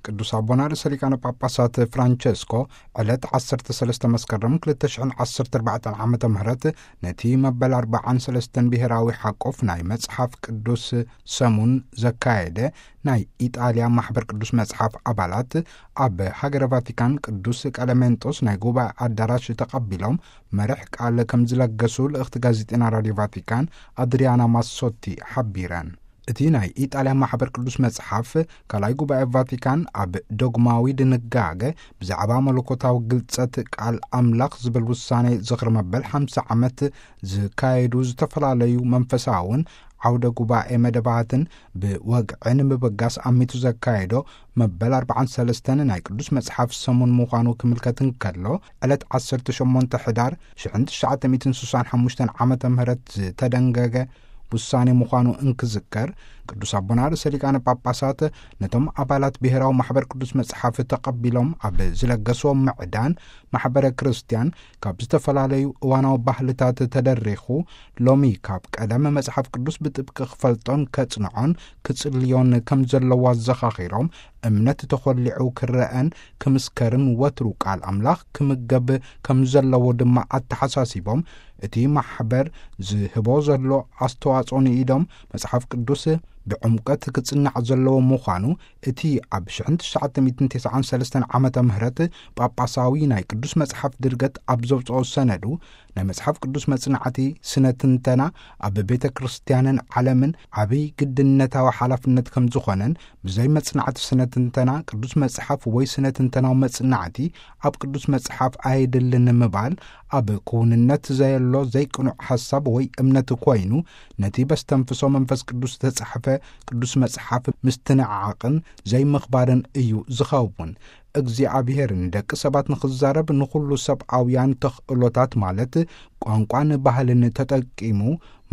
ቅዱስ ኣቦና ርእሰ ሊቃነ ጳጳሳት ፍራንቸስኮ ዕለት ዓሰርተ ሰለስተ መስከረም ክልተ ሽሕን ዓሰርተ ኣርባዕተን ዓመተ ምህረት ነቲ መበል ኣርባዓን ሰለስተን ብሔራዊ ሓቆፍ ናይ መጽሓፍ ቅዱስ ሰሙን ዘካየደ ናይ ኢጣልያ ማሕበር ቅዱስ መጽሓፍ ኣባላት ኣብ ሃገረ ቫቲካን ቅዱስ ቀለሜንጦስ ናይ ጉባኤ ኣዳራሽ ተቐቢሎም መርሕ ቃል ከም ዝለገሱ ልእኽቲ ጋዜጠና ራድዮ ቫቲካን ኣድሪያና ማሶቲ ሓቢረን። እቲ ናይ ኢጣልያ ማሕበር ቅዱስ መጽሓፍ ካልኣይ ጉባኤ ቫቲካን ኣብ ዶግማዊ ድንጋገ ብዛዕባ መለኮታዊ ግልጸት ቃል ኣምላኽ ዝብል ውሳኔ ዝኽሪ መበል ሓምሳ ዓመት ዝካየዱ ዝተፈላለዩ መንፈሳውን ዓውደ ጉባኤ መደባትን ብወግዒ ንምብጋስ ኣሚቱ ዘካየዶ መበል ኣርባዓን ሰለስተን ናይ ቅዱስ መጽሓፍ ሰሙን ምዃኑ ክምልከት እንከሎ፣ ዕለት ዓሰርተ ሸሞንተ ሕዳር ሽሕን ትሽዓተ ሚእትን ስሳን ሓሙሽተን ዓመተ ምህረት ዝተደንገገ ውሳኔ ምዃኑ እንክዝከር፣ ቅዱስ ኣቦና ርእሰ ሊቃነ ጳጳሳት ነቶም ኣባላት ብሔራዊ ማሕበር ቅዱስ መጽሓፍ ተቐቢሎም ኣብ ዝለገስዎ ምዕዳን፣ ማሕበረ ክርስቲያን ካብ ዝተፈላለዩ እዋናዊ ባህልታት ተደሪኹ፣ ሎሚ ካብ ቀደም መጽሓፍ ቅዱስ ብጥብቂ ክፈልጦን ከጽንዖን ክጽልዮን ከም ዘለዎ ኣዘኻኺሮም፣ እምነት ተኾሊዑ ክረአን ክምስከርን ወትሩ ቃል ኣምላኽ ክምገብ ከም ዘለዎ ድማ ኣተሓሳሲቦም፣ እቲ ማሕበር ዝህቦ ዘሎ ኣስተዋጽኦ ንኢዶም መጽሓፍ ቅዱስ ብዕምቀት ክጽናዕ ዘለዎ ምዃኑ፣ እቲ ኣብ ሽሕን ትሽዓተ ሚእትን ተስዓን ሰለስተን ዓመተ ምህረት ጳጳሳዊ ናይ ቅዱስ መጽሓፍ ድርገት ኣብ ዘውጽኦ ሰነዱ፣ ናይ መጽሓፍ ቅዱስ መጽናዕቲ ስነ ትንተና ኣብ ቤተ ክርስቲያንን ዓለምን ዓብይ ግድነታዊ ሓላፍነት ከም ዝኾነን፣ ብዘይ መጽናዕቲ ስነ ትንተና ቅዱስ መጽሓፍ ወይ ስነ ትንተናዊ መጽናዕቲ ኣብ ቅዱስ መጽሓፍ ኣየድልን ምባል፣ ኣብ ክውንነት ዘየሎ ዘይቅኑዕ ሓሳብ ወይ እምነት ኮይኑ፣ ነቲ በስተንፍሶ መንፈስ ቅዱስ ዝተጻሕፈ ቅዱስ መጽሓፍ ምስትንዓቕን ዘይምኽባርን እዩ ዝኸውን። እግዚኣብሔር ንደቂ ሰባት ንኽዛረብ ንኹሉ ሰብኣውያን ተኽእሎታት ማለት ቋንቋን ባህልን ተጠቂሙ፣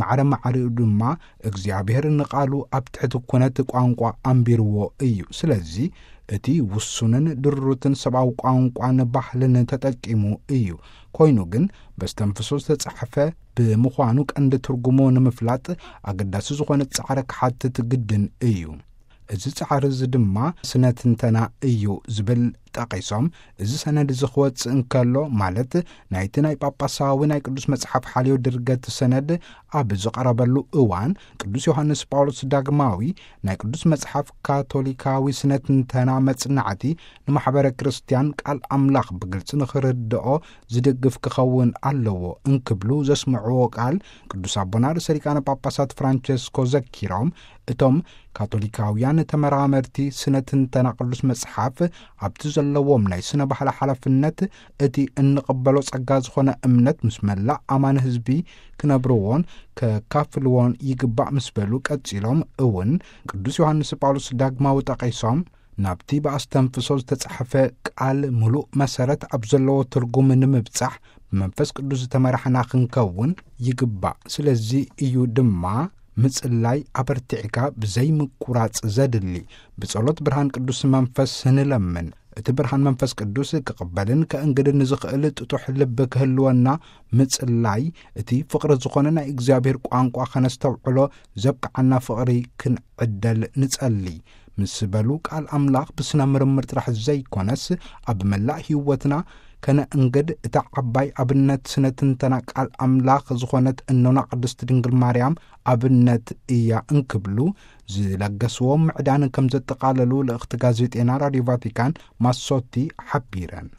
ማዕረ ማዕሪኡ ድማ እግዚኣብሔር ንቓሉ ኣብ ትሕቲ ኩነት ቋንቋ ኣንቢርዎ እዩ። ስለዚ እቲ ውሱንን ድሩትን ሰብኣዊ ቋንቋን ባህልን ተጠቂሙ እዩ። ኮይኑ ግን በስተንፍሶ ዝተጻሕፈ ብምዃኑ ቀንዲ ትርጉሙ ንምፍላጥ ኣገዳሲ ዝኾነ ጻዕሪ ክሓትት ግድን እዩ። እዚ ጻዕሪ እዚ ድማ ስነ ትንተና እዩ ዝብል ጠቒሶም፣ እዚ ሰነድ እዚ ክወጽእ እንከሎ፣ ማለት ናይቲ ናይ ጳጳሳዊ ናይ ቅዱስ መጽሓፍ ሓልዮ ድርገት ሰነድ ኣብ ዝቐረበሉ እዋን፣ ቅዱስ ዮሃንስ ጳውሎስ ዳግማዊ ናይ ቅዱስ መጽሓፍ ካቶሊካዊ ስነ ትንተና መጽናዕቲ ንማሕበረ ክርስቲያን ቃል ኣምላኽ ብግልጺ ንኽርድኦ ዝድግፍ ክኸውን ኣለዎ እንክብሉ ዘስምዕዎ ቃል፣ ቅዱስ ኣቦና ርእሰ ሊቃነ ጳጳሳት ፍራንቸስኮ ዘኪሮም፣ እቶም ካቶሊካውያን ተመራመርቲ ስነ ትንተና ቅዱስ መጽሓፍ ኣብቲ ዘለዎም ናይ ስነ ባህላ ሓላፍነት፣ እቲ እንቕበሎ ጸጋ ዝኾነ እምነት ምስ መላእ ኣማኒ ህዝቢ ክነብርዎን ከካፍልዎን ይግባእ ምስ በሉ፣ ቀጺሎም እውን ቅዱስ ዮሃንስ ጳውሎስ ዳግማዊ ጠቒሶም፣ ናብቲ ብኣስተንፍሶ ዝተጻሕፈ ቃል ምሉእ መሰረት ኣብ ዘለዎ ትርጉም ንምብጻሕ ብመንፈስ ቅዱስ ዝተመራሕና ክንከውን ይግባእ። ስለዚ እዩ ድማ ምጽላይ ኣበርቲዕካ ብዘይምቁራጽ ዘድሊ። ብጸሎት ብርሃን ቅዱስ መንፈስ ንለምን። እቲ ብርሃን መንፈስ ቅዱስ ክቕበልን ከእንግድን ዝኽእል ጥጡሕ ልቢ ክህልወና ምጽላይ፣ እቲ ፍቕሪ ዝኾነ ናይ እግዚኣብሔር ቋንቋ ከነስተውዕሎ ዘብቅዓና ፍቕሪ ክንዕደል ንጸሊ። ምስ በሉ፣ ቃል ኣምላኽ ብስነ ምርምር ጥራሕ ዘይኮነስ ኣብ መላእ ህይወትና ከነእንግድ እታ ዓባይ ኣብነት ስነ ትንተና ቃል ኣምላኽ ዝኾነት እኖና ቅድስት ድንግል ማርያም ኣብነት እያ እንክብሉ ዝለገስዎ ምዕዳን ከም ዘጠቓለሉ ልእኽቲ ጋዜጤና ራድዮ ቫቲካን ማሶቲ ሓቢረን።